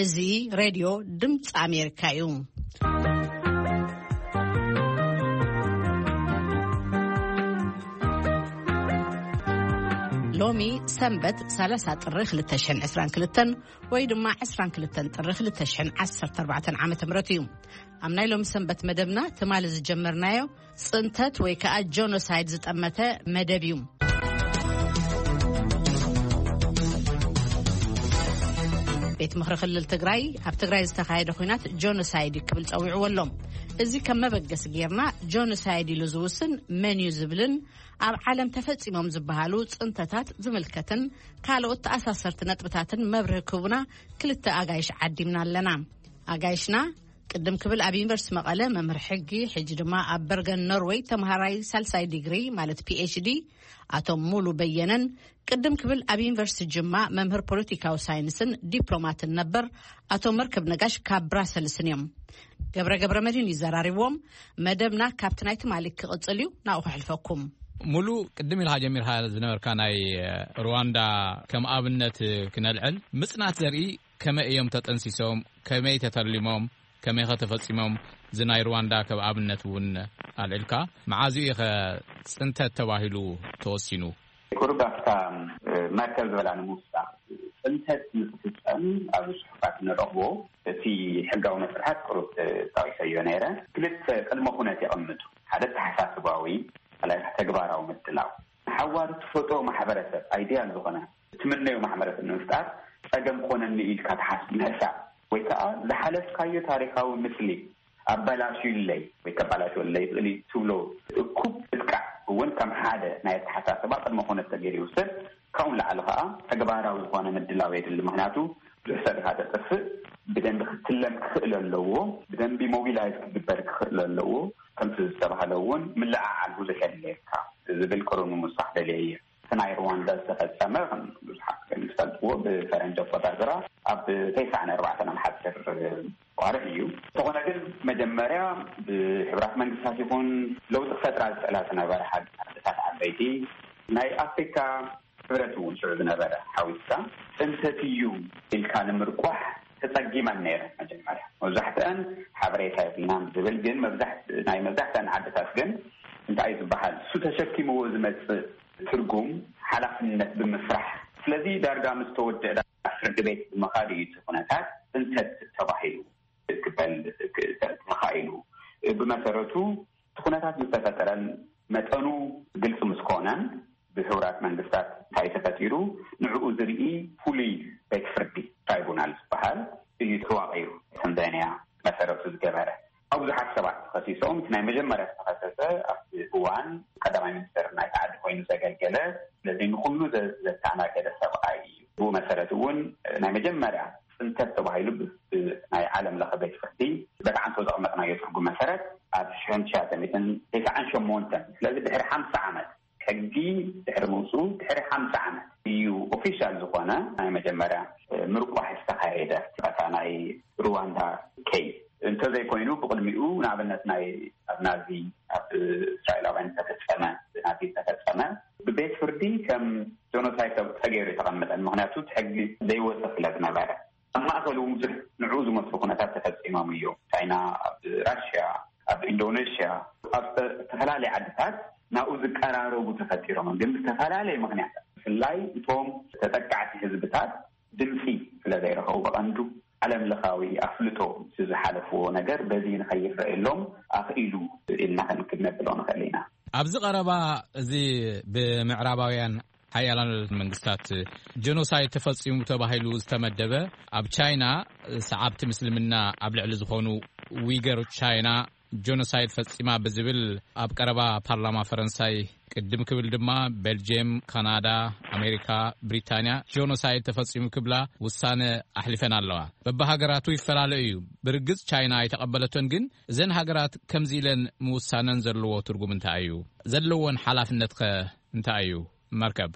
እዚ ሬድዮ ድምፂ ኣሜሪካ እዩ። ሎሚ ሰንበት ሰላሳ ጥሪ ክልተ ሽሕን ዕስራን ክልተን ወይ ድማ ዕስራን ክልተን ጥሪ ክልተ ሽሕን ዓሰርተ ኣርባዕተን ዓመተ ምህረት እዩ። ኣብ ናይ ሎሚ ሰንበት መደብና ትማሊ ዝጀመርናዮ ጽንተት ወይ ከኣ ጆኖሳይድ ዝጠመተ መደብ እዩ። ቤት ምኽሪ ክልል ትግራይ ኣብ ትግራይ ዝተኻየደ ኹናት ጆኖሳይድ እዩ ክብል ጸዊዕዎ ኣሎ። እዚ ከም መበገሲ ጌርና ጆኖሳይድ ኢሉ ዝውስን መን እዩ ዝብልን ኣብ ዓለም ተፈጺሞም ዝበሃሉ ጽንተታት ዝምልከትን ካልኦት ተኣሳሰርቲ ነጥብታትን መብርሂ ክህቡና ክልተ ኣጋይሽ ዓዲምና ኣለና። ኣጋይሽና ቅድም ክብል ኣብ ዩኒቨርሲቲ መቐለ መምህር ሕጊ፣ ሕጂ ድማ ኣብ በርገን ኖርወይ ተምሃራይ ሳልሳይ ዲግሪ ማለት ፒ ኤች ዲ ኣቶ ሙሉ በየነን፣ ቅድም ክብል ኣብ ዩኒቨርሲቲ ጅማ መምህር ፖለቲካዊ ሳይንስን ዲፕሎማትን ነበር ኣቶ መርከብ ነጋሽ ካብ ብራሰልስን እዮም። ገብረ ገብረ መድህን ይዘራሪብዎም። መደብና ካብቲ ናይ ትማሊ ክቕጽል እዩ። ናብኡ ከሕልፈኩም። ሙሉ፣ ቅድም ኢልካ ጀሚርካ ዝነበርካ ናይ ሩዋንዳ ከም ኣብነት ክነልዕል፣ ምጽናት ዘርኢ ከመይ እዮም ተጠንሲሶም፣ ከመይ ተተሊሞም፣ ከመይ ኸ ተፈጺሞም፣ እዚ ናይ ሩዋንዳ ከም ኣብነት እውን ኣልዒልካ፣ መዓዝ እዩ ኸ ጽንተት ተባሂሉ ተወሲኑ? ቁሩብ ኣብታ መርከብ ዝበላ ንምውሳኽ፣ ጽንተት ንክፍጸም ኣብዚ ጽሑፋት እንረኽቦ እቲ ሕጋዊ መስርሓት ቁሩብ ጠቒሰዮ ነይረ። ክልተ ቅድመ ኩነት የቐምጡ። ሓደ ኣተሓሳስባዊ፣ ካልኣይ ተግባራዊ ምድላው። ንሓዋሩ ትፈጥሮ ማሕበረሰብ፣ ኣይዲያል ዝኾነ ትምነዮ ማሕበረሰብ ንምፍጣር ጸገም ኮነኒ ኢልካ ትሓስብ ምሕሳብ፣ ወይ ከዓ ዝሓለፍካዮ ታሪኻዊ ምስሊ ኣበላሽዩለይ ወይ ከበላሽወለይ ይኽእል እዩ ትብሎ እኩብ ምጥቃዕ እውን ከም ሓደ ናይ ኣተሓሳስባ ቅድመ ኩነት ተገይሩ ይውሰድ። ካብኡ ንላዕሊ ከዓ ተግባራዊ ዝኾነ ምድላው የድሊ። ምኽንያቱ ብዙሕ ሰብ ኢኻ ተጥፍእ፣ ብደንቢ ክትለም ክኽእል ኣለዎ፣ ብደንቢ ሞቢላይዝ ክግበር ክኽእል ኣለዎ። ከምቲ ዝተባህለ እውን ምልዕዓል ብዙሕ የድልየካ ዝብል ቅሩብ ንምውሳኽ ደልየ እየ። እቲ ናይ ሩዋንዳ ዝተፈጸመ፣ ከም ብዙሓት ከም ዝፈልጥዎ፣ ብፈረንጂ ኣቆጻጽራ ኣብ ተስዓን ኣርባዕተን ኣብ ሓጺር ዋርሕ እዩ። እንተኾነ ግን መጀመርያ ብሕቡራት መንግስታት ይኹን ለውጢ ክፈጥራ ዝኽእላ ዝነበራ ሓድታት ዓበይቲ ናይ ኣፍሪካ ሕብረት እውን ሽዑ ዝነበረ ሓዊስካ ጽንተት እዩ ኢልካ ንምርቋሕ ተጸጊመን ነይረን። መጀመርያ መብዛሕትአን ሓበሬታ የብልናን ዝብል፣ ግን መብዛሕት-፣ ናይ መብዛሕትአን ዓድታት ግን እንታይ እዩ ዝበሃል፣ እሱ ተሸኪምዎ ዝመጽእ ትርጉም ሓላፍነት ብምፍራሕ፣ ስለዚ ዳርጋ ምስ ተወደአ ፍርዲ ቤት ብምኻድ እዩ እቲ ኩነታት ጽንተት ተባሂሉ ክበል ተኻኢሉ። ብመሰረቱ እቲ ኩነታት ምስ ተፈጠረን መጠኑ ግልፂ ምስ ኮነን ብሕቡራት መንግስታት እንታይ ተፈጢሩ ንዕኡ ዝርኢ ፍሉይ ቤት ፍርዲ ትራይቡናል ዝበሃል እዩ ተዋቒሩ። ከም ዳይናያ መሰረቱ ዝገበረ ኣብ ብዙሓት ሰባት ተኸሲሶም። እቲ ናይ መጀመርያ ዝተኸሰሰ ኣብቲ እዋን ቀዳማይ ሚኒስትር ናይቲ ዓዲ ኮይኑ ዘገልገለ፣ ስለዚ ንኹሉ ዘ-፣ ዘተኣናገደ ሰብኣይ እዩ። ብኡ መሰረት እውን ናይ መጀመርያ ፅንተት ተባሂሉ ብ-፣ ብ-፣ ናይ ዓለም ለኸ ቤት ፍርዲ በጣዕንቶ ዘቕመጥናዮ ትርጉም መሰረት ኣብ ሽሕን ትሽዓተ ሚእትን ተስዓን ሸሞንተን፣ ስለዚ ድሕሪ ሓምሳ ዓመት ሕጊ ድሕሪ ምውፅኡ ድሕሪ ሓምሳ ዓመት እዩ ኦፊሻል ዝኾነ ናይ መጀመርያ ምርቋሕ ዝተኻየደ። በታ ናይ ሩዋንዳ ኬይ እንተዘይኮይኑ ብቕድሚኡ ንኣብነት ናይ ኣብ ናዚ ኣብ እስራኤላውያን ዝተፈጸመ፣ ብናዚ ዝተፈጸመ ብቤት ፍርዲ ከም ጆኖሳይድ ተብ-፣ ተገይሩ የተቐመጠን። ምኽንያቱ እቲ ሕጊ ዘይወፀ ስለ ዝነበረ ኣብ ማእኸል እውን ብዙሕ ንዕኡ ዝመስሉ ኩነታት ተፈጺሞም እዮም። ቻይና ኣብ ራሽያ፣ ኣብ ኢንዶኔሽያ፣ ኣብ ዝተፈላለየ ዓድታት ናብኡ ዝቀራረቡ ተፈጢሮም፣ ግን ብዝተፈላለየ ምኽንያታት ብፍላይ እቶም ተጠቃዕቲ ህዝብታት ድምፂ ስለ ዘይረኸቡ ብቐንዱ ዓለም ለኻዊ ኣፍልጦ ዝሓለፍዎ ነገር በዚ ንኸይረኣየሎም ኣኽኢሉ ኢልና ክንክድ ነብሎ ንኽእል ኢና። ኣብዚ ቀረባ እዚ ብምዕራባውያን ሓያላን መንግስታት ጀኖሳይድ ተፈጺሙ ተባሂሉ ዝተመደበ ኣብ ቻይና ሰዓብቲ ምስልምና ኣብ ልዕሊ ዝኾኑ ዊገር ቻይና ጆኖሳይድ ፈጺማ ብዝብል ኣብ ቀረባ ፓርላማ ፈረንሳይ ቅድም ክብል ድማ ቤልጅየም፣ ካናዳ፣ ኣሜሪካ፣ ብሪታንያ ጆኖሳይድ ተፈጺሙ ክብላ ውሳነ ኣሕሊፈን ኣለዋ። በብሃገራቱ ይፈላለ እዩ። ብርግጽ ቻይና ኣይተቐበለቶን፣ ግን እዘን ሃገራት ከምዚ ኢለን ምውሳነን ዘለዎ ትርጉም እንታይ እዩ? ዘለወን ሓላፍነትኸ እንታይ እዩ? መርከብ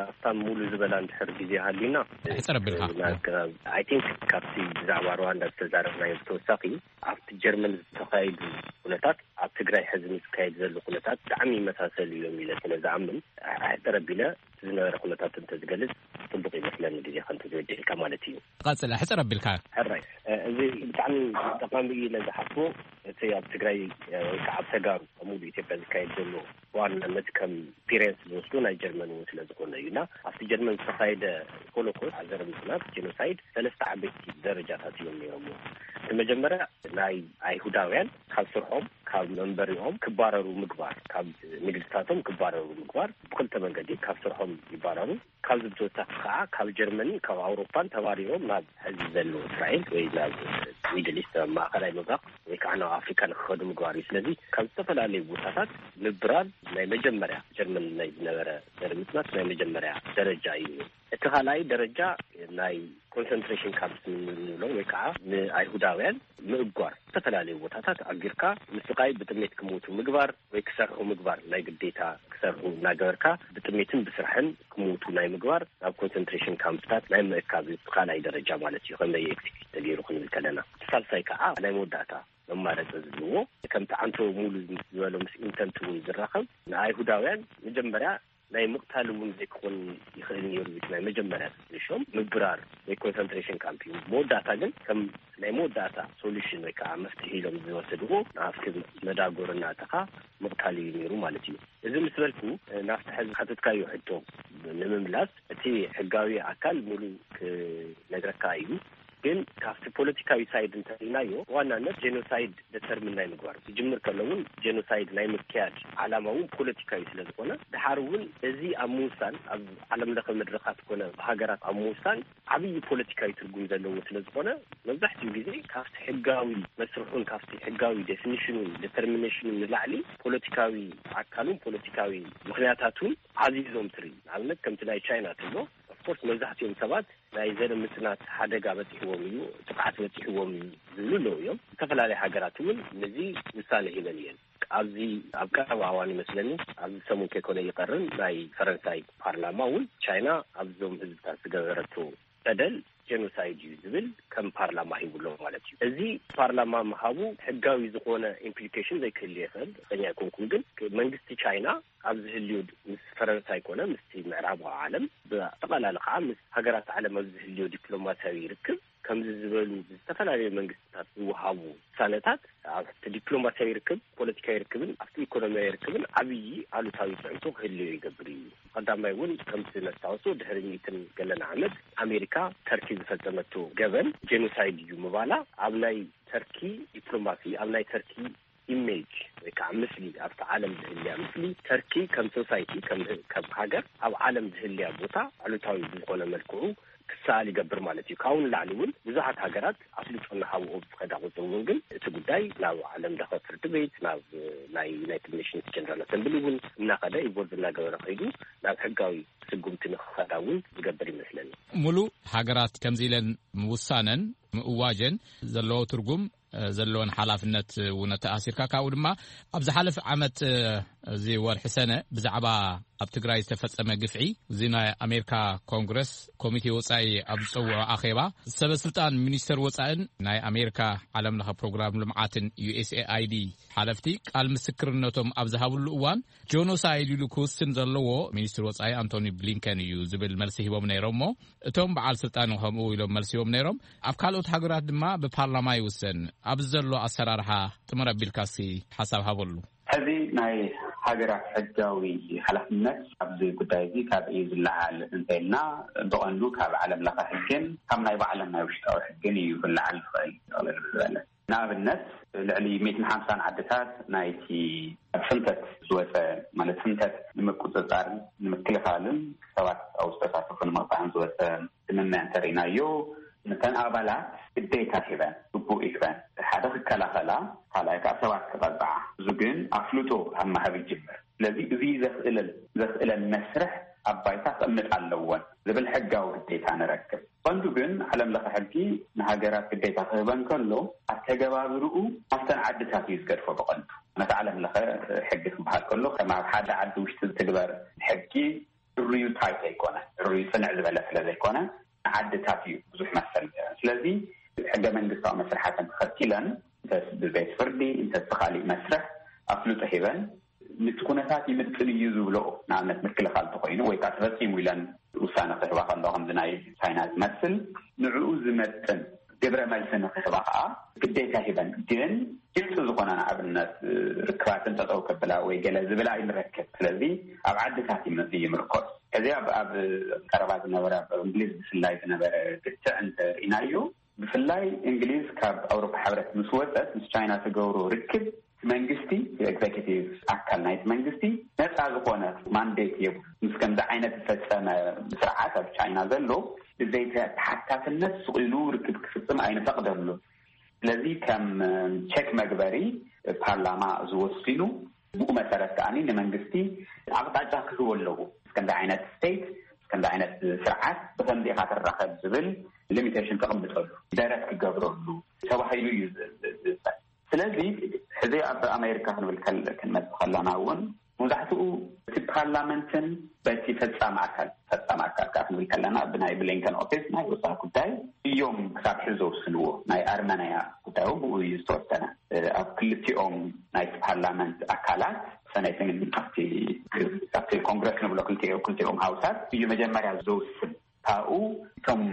ኣብታ ሙሉ ዝበላ እንድሕር ግዜ ሃሊና፣ ሕጽር ኣቢልካ። ናይ ኣገባብ፣ I think ካብቲ ብዛዕባ ሩዋንዳ ዝተዛረብናዮ ብተወሳኺ ኣብቲ ጀርመን ዝተኻየዱ ኩነታት ኣብ ትግራይ ሕዚ ምስ ዝካየድ ዘሎ ኩነታት ብጣዕሚ ይመሳሰሉ እዮም ኢለ ስለ ዝኣምን፣ ኣሕፅር ኣቢለ ዝነበረ ኩነታት እንተዝገልፅ ፅቡቅ ይመስለኒ፣ ግዜ ከንተዝበድልካ ማለት እዩ። ቀፅለ ሕፅር ኣቢልካ። ሕራይ፣ እዚ ብጣዕሚ ጠቃሚ እዩ ኢለ ዝሓስቦ፣ እቲ ኣብ ትግራይ ወይ ከዓ ኣብ ተጋሩ ኣብ ሙሉ ኢትዮጵያ ዝካየድ ዘሎ ብዋናነት ከም ፒሬንስ ዝወስዶ ናይ ጀርመን እውን ስለ ዝኾነ እዩ። እና ኣብቲ ጀርመን ዝተኻየደ ሆሎኮስት፣ ዘርምስናት ጀኖሳይድ፣ ሰለስተ ዓበይቲ ደረጃታት እዮም ነይሮምዎ። እቲ መጀመርያ ናይ ኣይሁዳውያን ካብ ስርሖም፣ ካብ መንበሪኦም ክባረሩ ምግባር፣ ካብ ንግድታቶም ክባረሩ ምግባር፣ ብክልተ መንገዲ ካብ ስርሖም ይባረሩ። ካብዚ ብተወሳኺ ከዓ ካብ ጀርመንን ካብ ኣውሮፓን ተባሪሮም ናብ ሕዚ ዘሎ እስራኤል ወይ ናብ ሚድል ኢስት፣ ማእኸላይ ምብራቅ ወይ ከዓ ናብ ኣፍሪካ ንክኸዱ ምግባር እዩ። ስለዚ ካብ ዝተፈላለዩ ቦታታት ምብራር ናይ መጀመርያ ጀርመን ናይ ዝነበረ ዘርምስናት ናይ መጀመርያ ደረጃ እዩ። እቲ ካልኣይ ደረጃ ናይ ኮንሰንትሬሽን ካምፕስ ንብሎ ወይ ከዓ ንኣይሁዳውያን ምእጓር፣ ዝተፈላለዩ ቦታታት ኣጊርካ ምስቃይ፣ ብጥሜት ክሞቱ ምግባር ወይ ክሰርሑ ምግባር፣ ናይ ግዴታ ክሰርሑ እናገበርካ ብጥሜትን ብስራሕን ክሞቱ ናይ ምግባር፣ ናብ ኮንሰንትሬሽን ካምፕታት ናይ ምእካብ፣ ካልኣይ ደረጃ ማለት እዩ። ከመይ ኤክስኪዩት ተገይሩ ክንብል ከለና፣ እቲ ሳልሳይ ከዓ ናይ መወዳእታ መማረፂ ዝብልዎ፣ ከምቲ ኣንቶኒ ሙሉ ዝበሎ ምስ ኢንተንት እውን ዝራኸብ፣ ንኣይሁዳውያን መጀመርያ ናይ ምቕታል እውን ዘይክኾን ይኽእል ነይሩ። ናይ መጀመርያ ሶሉሽን ምብራር ወይ ኮንሰንትሬሽን ካምፕ እዩ። መወዳእታ ግን ከም ናይ መወዳእታ ሶሉሽን ወይ ከዓ መፍትሒ ኢሎም ዝወሰድዎ፣ ንኣፍቲ መዳጎር እናእተኻ ምቕታል እዩ ነይሩ ማለት እዩ። እዚ ምስ በልኩ፣ ናብቲ ሕዚ ሓተትካዮ ሕቶ ንምምላስ፣ እቲ ሕጋዊ ኣካል ሙሉ ክነግረካ እዩ። ግን ካብቲ ፖለቲካዊ ሳይድ እንተሪናዮ፣ ብዋናነት ጀኖሳይድ ደተርሚን ናይ ምግባር፣ ክጅምር ከሎ እውን ጀኖሳይድ ናይ ምክያድ ዓላማ እውን ፖለቲካዊ ስለ ዝኾነ፣ ድሓር እውን እዚ ኣብ ምውሳን፣ ኣብ ዓለም ለኸ መድረኻት ኮነ ብሃገራት ኣብ ምውሳን ዓብዪ ፖለቲካዊ ትርጉም ዘለዎ ስለ ዝኾነ፣ መብዛሕትኡ ግዜ ካብቲ ሕጋዊ መስርሑን ካብቲ ሕጋዊ ዴፊኒሽኑን ዴተርሚኔሽኑን ንላዕሊ፣ ፖለቲካዊ ኣካሉን ፖለቲካዊ ምኽንያታቱን ዓዚዞም ትርኢ። ንኣብነት ከምቲ ናይ ቻይና ትብሎ፣ ኦፍኮርስ መብዛሕትኦም ሰባት ናይ ዘር ምጽናት ሓደጋ በጺሕዎም እዩ፣ ጥቕዓት በጺሕዎም እዩ ዝብሉ ኣለዉ እዮም። ዝተፈላለዩ ሃገራት እውን ነዚ ውሳነ ሂበን እየን። ኣብዚ ኣብ ቀረባ እዋን ይመስለኒ፣ ኣብዚ ሰሙን ከይኮነ ይቐርን፣ ናይ ፈረንሳይ ፓርላማ እውን ቻይና ኣብዞም ህዝብታት ዝገበረቶ በደል ጀኖሳይድ እዩ ዝብል ከም ፓርላማ ሂቡ ኣሎ ማለት እዩ። እዚ ፓርላማ ምሃቡ ሕጋዊ ዝኾነ ኢምፕሊኬሽን ዘይክህልዮ ይኽእል፣ ርግጸኛ ኣይኮንኩን። ግን መንግስቲ ቻይና ኣብ ዝህልዮ፣ ምስ ፈረንሳይ ኮነ ምስቲ ምዕራባዊ ዓለም፣ ብኣጠቓላሊ ከዓ ምስ ሃገራት ዓለም ኣብ ዝህልዮ ዲፕሎማሲያዊ ርክብ፣ ከምዚ ዝበሉ ብዝተፈላለዩ መንግስትታት ዝወሃቡ ውሳነታት ኣብቲ ዲፕሎማሲያዊ ርክብ፣ ፖለቲካዊ ርክብን ኣብቲ ኢኮኖሚያዊ ርክብን ዓብዪ ኣሉታዊ ፅዕንቶ ክህልዮ ይገብር እዩ። ቀዳማይ እውን ከምቲ ነስታውሶ፣ ድሕሪ ሚእትን ገለን ዓመት ኣሜሪካ ተርኪ ዝፈጸመቶ ገበን ጄኖሳይድ እዩ ምባላ፣ ኣብ ናይ ተርኪ ዲፕሎማሲ፣ ኣብ ናይ ተርኪ ኢሜጅ ወይ ከዓ ምስሊ፣ ኣብቲ ዓለም ዝህልያ ምስሊ፣ ተርኪ ከም ሶሳይቲ፣ ከም፣ ከም ሃገር ኣብ ዓለም ዝህልያ ቦታ ኣሉታዊ ብዝኾነ መልክዑ ክሰኣል ይገብር ማለት እዩ። ካብኡ ንላዕሊ እውን ብዙሓት ሃገራት ኣፍልጦ እናሃብኦ ብዝኸዳ ቁፅሪ እውን ግን እቲ ጉዳይ ናብ ዓለም ለኸ ፍርዲ ቤት፣ ናብ ናይ ዩናይትድ ኔሽንስ ጀነራል ኣሰምብሊ እውን እናኸደ፣ ኢንቮልቭ እናገበረ ከይዱ ናብ ሕጋዊ ስጉምቲ ንክኸዳ እውን ዝገብር ይመስለኒ። ሙሉ፣ ሃገራት ከምዚ ኢለን ምውሳነን ምእዋጀን ዘለዎ ትርጉም፣ እ፣ ዘለወን ሓላፍነት እውን ተኣሲርካ፣ ካብኡ ድማ ኣብ ዝሓለፈ ዓመት፣ እ፣ እዚ ወርሒ ሰነ ብዛዕባ ኣብ ትግራይ ዝተፈጸመ ግፍዒ፣ እዚ ናይ ኣሜሪካ ኮንግረስ ኮሚቴ ወጻኢ ኣብ ዝጸውዖ ኣኼባ፣ ሰበ ስልጣን ሚኒስተር ወጻእን ናይ ኣሜሪካ ዓለም ለኸ ፕሮግራም ልምዓትን፣ ዩ ኤስ ኤ ኣይ ዲ፣ ሓለፍቲ ቃል ምስክርነቶም ኣብ ዝሃብሉ እዋን፣ ጆኖሳይድ ኢሉ ክውስን ዘለዎ ሚኒስትሪ ወጻኢ ኣንቶኒ ብሊንከን እዩ ዝብል መልሲ ሂቦም ነይሮም። እሞ እቶም በዓል ስልጣን ከምኡ ኢሎም መልሲ ሂቦም ነይሮም። ኣብ ካልኦት ሃገራት ድማ ብፓርላማ ይውሰን። ኣብዚ ዘሎ ኣሰራርሓ ጥምር ኣቢልካ እስኪ ሓሳብ ሃበሉ። ሕዚ ናይ ሃገራት ሕጋዊ ሓላፍነት ኣብዚ ጉዳይ እዚ ካብ እዩ ዝለዓል እንተኢልና፣ ብቐንዱ ካብ ዓለም ለኸ ሕግን ካብ ናይ ባዕሎም ናይ ውሽጣዊ ሕግን እዩ ክለዓል ዝኽእል። ጠቕለል ዝበለ ንኣብነት፣ ልዕሊ ሚእትን ሓምሳን ዓድታት ናይቲ ኣብ ሕንተት ዝወፀ፣ ማለት ሕንተት ንምቁፅፃርን ንምክልኻልን ሰባት ኣብኡ ዝተሳተፉ ንምቕፃዕን ዝወፀ ስምምዕ እንተርኢናዮ፣ ነተን ኣባላት ግዴታ ሂበን፣ ግቡእ ሂበን፣ ሓደ ክከላኸላ፣ ካልኣይ ከዓ ሰባት ክቐፅዓ። እዚ ግን ኣፍልጦ ካብ ምሃብ ይጅምር። ስለዚ እዚ ዘኽእለል-፣ ዘኽእለን መስርሕ ኣብ ባይታ ክቕምጥ ኣለወን ዝብል ሕጋዊ ግዴታ ንረክብ። ቀንዱ ግን ዓለም ለኸ ሕጊ ንሃገራት ግዴታ ክህበን ከሎ፣ ኣተገባብርኡ ኣብተን ዓድታት እዩ ዝገድፎ ብቐንዱ። ነቲ ዓለም ለኸ ሕጊ ክበሃል ከሎ፣ ከም ኣብ ሓደ ዓዲ ውሽጢ ዝትግበር ሕጊ ድርዩ ታይት ኣይኮነ፣ ድርዩ ጽንዕ ዝበለ ስለ ዘይኮነ፣ ንዓድታት እዩ ብዙሕ መሰል ዝህበን። ስለዚ ሕገ መንግስታዊ መስርሓተን ተኸቲለን፣ እንተስ ብቤት ፍርዲ፣ እንተስ ብኻሊእ መስርሕ፣ ኣፍልጦ ሂበን፣ ነቲ ኩነታት ይምጥን እዩ ዝብሎ፣ ንኣብነት ምክልኻል እንተኾይኑ ወይ ከዓ ተፈፂሙ ኢለን ውሳነ ክህባ ከለዋ፣ ከምዚ ናይ ቻይና ዝመስል ንዕኡ ዝመጥን ግብረ መልሲ ንክህባ ከዓ ግዴታ ሂበን። ግን ግልፂ ዝኾነ ንኣብነት ርክባትን ጠጠው ከብላ ወይ ገለ ዝብላ ኣይንረክብ። ስለዚ ኣብ ዓድታት እዩ ይምርኮስ። እዚ ኣብ ኣብ ቀረባ ዝነበረ፣ ኣብ እንግሊዝ ብፍላይ ዝነበረ ግትዕ እንተርኢናዮ፣ ብፍላይ እንግሊዝ ካብ ኣውሮፓ ሕብረት ምስ ወፀት፣ ምስ ቻይና ትገብሮ ርክብ፣ መንግስቲ፣ ኤግዜኪቲቭ ኣካል ናይቲ መንግስቲ፣ ነፃ ዝኾነ ማንዴት የብሉ። ምስ ከምዚ ዓይነት ዝፈፀመ ስርዓት ኣብ ቻይና ዘሎ ብዘይተሓታትነት ስቕ ኢሉ ርክብ ክፍፅም ኣይንፈቕደሉ። ስለዚ ከም ቸክ መግበሪ ፓርላማ ዝወስኑ፣ ብኡ መሰረት ከኣ ንመንግስቲ ኣቕጣጫ ክህቦ ኣለዎ። ከምዚ ዓይነት ስቴት፣ ከምዚ ዓይነት ስርዓት ብከምዚ ኢኻ ትራኸብ ዝብል ሊሚቴሽን ተቐምጠሉ፣ ደረት ክገብረሉ ተባሂሉ እዩ ዝ- ዝ- ዝብል። ስለዚ ሕዚ ኣብ ኣሜሪካ ክንብል ከል- ክንመጽእ ከለና እውን፣ መብዛሕትኡ እቲ ፓርላመንትን በቲ ፈጻሚ ኣካል፣ ፈጻሚ ኣካል ከዓ ክንብል ከለና፣ ብናይ ብሊንከን ኦፊስ ናይ ወፃኢ ጉዳይ እዮም ክሳብ ሕዚ ዘውስንዎ። ናይ ኣርመናያ ጉዳይ እውን ብኡ እዩ ዝተወሰነ። ኣብ ክልቲኦም ናይ ፓርላመንት ኣካላት፣ ሰነትን ኣብቲ ኣብቲ ኮንግረስ ንብሎ፣ ክልቲኦ ክልቲኦም ሃውሳት እዩ መጀመርያ ዘውስን። ካብኡ እቶም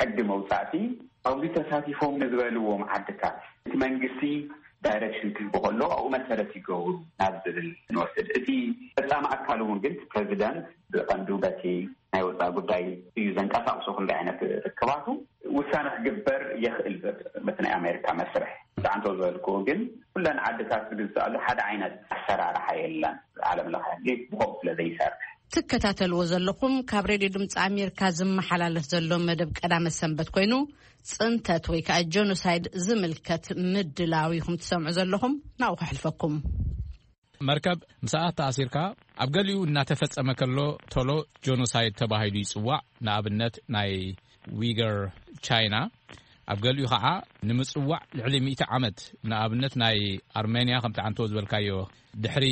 ሕጊ መውፃእቲ ኣብዚ ተሳቲፎም ንዝበልዎም ዓድታት እቲ መንግስቲ ዳይሬክሽን ክህቡ ከሎ፣ ኣብኡ መሰረት ይገብሩ ናብ ዝብል ንወስድ። እቲ ፈፃሚ ኣካል እውን ግን፣ ፕሬዚደንት ብቐንዱ በቲ ናይ ወፃኢ ጉዳይ እዩ ዘንቀሳቕሶ። ክንዲ ዓይነት ርክባቱ ውሳነ ክግበር የኽእል። በቲ ናይ ኣሜሪካ መስርሕ፣ ብዓንቶ ዝበልክዎ ግን፣ ኩለን ዓድታት ዝግዝኣሉ ሓደ ዓይነት ኣሰራርሓ የለን። ዓለም ለኸ ሕጊ ብኸምኡ ስለ ዘይሰርሕ። ትከታተልዎ ዘለኹም ካብ ሬድዮ ድምፂ ኣሜሪካ ዝመሓላለፍ ዘሎ መደብ ቀዳመ ሰንበት ኮይኑ፣ ፅንተት ወይ ከዓ ጀኖሳይድ ዝምልከት ምድላው ኢኹም ትሰምዑ ዘለኹም። ናብኡ ከሕልፈኩም። መርከብ፣ ምስ ሰዓት ተኣሲርካ፣ ኣብ ገሊኡ እናተፈጸመ ከሎ ቶሎ ጆኖሳይድ ተባሂሉ ይጽዋዕ። ንኣብነት ናይ ዊገር ቻይና፣ ኣብ ገሊኡ ኸዓ ንምጽዋዕ ልዕሊ ሚእቲ ዓመት። ንኣብነት ናይ ኣርሜንያ ከምቲ ዓንቶ ዝበልካዮ፣ ድሕሪ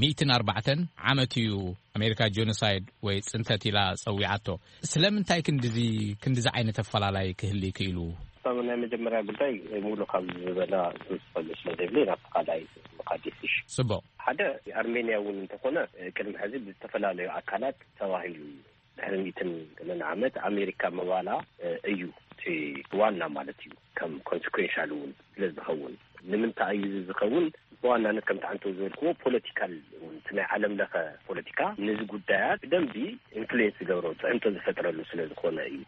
ሚእትን ኣርባዕተን ዓመት እዩ ኣሜሪካ ጆኖሳይድ ወይ ጽንተት ኢላ ጸዊዓቶ። ስለምንታይ ክንድዚ ክንድዚ ዓይነት ኣፈላላይ ክህሊ ክኢሉ? እቶም ናይ መጀመርያ ጉዳይ ሙሉ ካብ ዝበላ ዝፈልጥ ስለ ዘይብለይ ናብቲ ካልኣይ ምኻድ ይፍሽ። ጽቡቕ። ሓደ ኣርሜንያ እውን እንተኾነ ቅድሚ ሕዚ ብዝተፈላለዩ ኣካላት ተባሂሉ እዩ። ድሕሪ ሚእትን ገለን ዓመት ኣሜሪካ ምባላ እዩ እቲ ዋና ማለት እዩ። ከም ኮንስኩዌንሻል እውን ስለ ዝኸውን ንምንታይ እዩ እዚ ዝኸውን? ብዋናነት ከምቲ ዓንቶ ዝበልክዎ ፖለቲካል እውን እቲ ናይ ዓለም ለኸ ፖለቲካ ነዚ ጉዳያት ብደንቢ ኢንፍሉዌንስ ዝገብሮ ፅዕንቶ ዝፈጥረሉ ስለ ዝኾነ እዩ።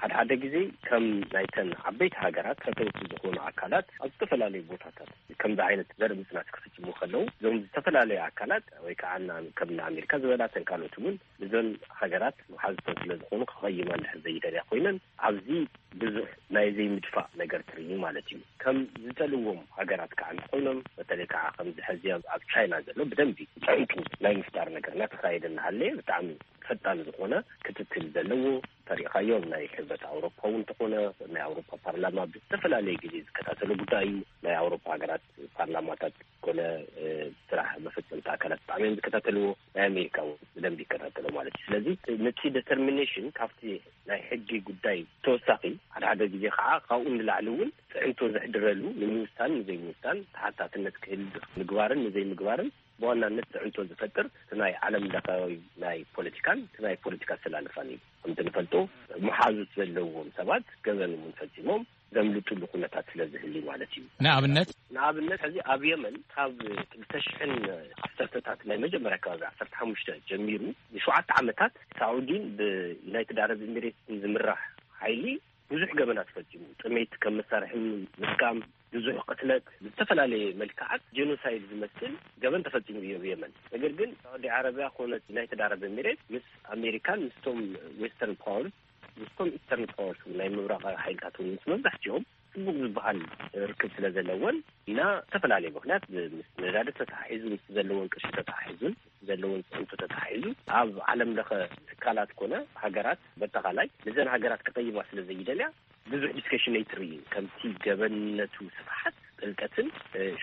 ሓደ ሓደ ግዜ ከም ናይተን ዓበይቲ ሃገራት ፈተውቲ ዝኾኑ ኣካላት ኣብ ዝተፈላለዩ ቦታታት ከምዚ ዓይነት ዘርኢ ምፅናት ክፍፅሙ ከለዉ እዞም ዝተፈላለዩ ኣካላት ወይ ከዓ ከም ኣሜሪካ ዝበላተን ካልኦት እውን እዘን ሃገራት መሓዝተን ስለ ዝኾኑ ክቐይማ እንድሕር ዘይደልያ ኮይነን ኣብዚ ብዙሕ ናይ ዘይምድፋእ ነገር ትርኢ ማለት እዩ። ከም ዝጠልዎም ሃገራት ከዓ እንተኮይኖም በተለይ ከዓ ከምዚ ሕዚ ኣብ ቻይና ዘሎ ብደንቢ ፅዕንቱ ናይ ምፍጣር ነገር እናተካየደ እናሃለየ ብጣዕሚ ፈጣን ዝኾነ ክትትል ዘለዎ ተሪእኻዮም ናይ ሕብረት ኣውሮፓ እውን እንተኾነ ናይ ኣውሮፓ ፓርላማ ብዝተፈላለየ ግዜ ዝከታተሎ ጉዳይ እዩ። ናይ ኣውሮፓ ሃገራት ፓርላማታት ኮነ ስራሕ መፈፀምቲ ኣካላት ብጣዕሚ እዮም ዝከታተልዎ። ናይ ኣሜሪካ እውን ብደንብ ይከታተሎ ማለት እዩ። ስለዚ ነቲ ዴተርሚኔሽን ካብቲ ናይ ሕጊ ጉዳይ ተወሳኺ ሓደ ሓደ ግዜ ከዓ ካብኡ ንላዕሊ እውን ፅዕንቶ ዘሕድረሉ ንምውሳን ንዘይምውሳን ተሓታትነት ክህል ምግባርን ንዘይምግባርን ብዋናነት ፅዕንቶ ዝፈጥር እቲ ናይ ዓለም ለኻዊ ናይ ፖለቲካን እቲ ናይ ፖለቲካ ኣሰላልፋን እዩ። ከምቲ ንፈልጦ መሓዙት ዘለዎም ሰባት ገበን እውን ፈፂሞም ዘምልጥሉ ኩነታት ስለ ዝህሊ ማለት እዩ። ንኣብነት ንኣብነት ሕዚ ኣብ የመን ካብ ክልተ ሽሕን ዓሰርተታት ናይ መጀመርያ ከባቢ ዓሰርተ ሓሙሽተ ጀሚሩ ንሸውዓተ ዓመታት ሳዑዲን ብዩናይትድ ዓረብ ኤሚሬትስን ዝምራሕ ሓይሊ ብዙሕ ገበናት ፈፂሙ። ጥሜት ከም መሳርሒ ምጥቃም፣ ብዙሕ ቅትለት፣ ብዝተፈላለየ መልክዓት ጀኖሳይድ ዝመስል ገበን ተፈፂሙ እዩ ኣብ የመን። ነገር ግን ሳዑዲ ዓረብያ ኮነት ዩናይትድ ዓረብ ኤሚሬት ምስ ኣሜሪካን ምስቶም ዌስተርን ፓወርስ ምስቶም ኢስተርን ፓወርስ ናይ ምብራቃዊ ሓይልታት እውን ምስ መብዛሕትኦም ፅቡቅ ዝበሃል ርክብ ስለ ዘለወን ኢና ዝተፈላለየ ምክንያት ምስ ነዳዲ ተተሓሒዙ ምስ ዘለወን ቅርሺ ተተሓሒዙን ምስ ዘለወን ፅዕንቶ ተተሓሒዙ ኣብ ዓለም ለኸ ትካላት ኮነ ሃገራት በጠቃላይ ንዘን ሃገራት ክቀይማ ስለ ዘይደልያ ብዙሕ ዲስከሽን ኣይትርእይን። ከምቲ ገበንነቱ ስፍሓት ጥልቀትን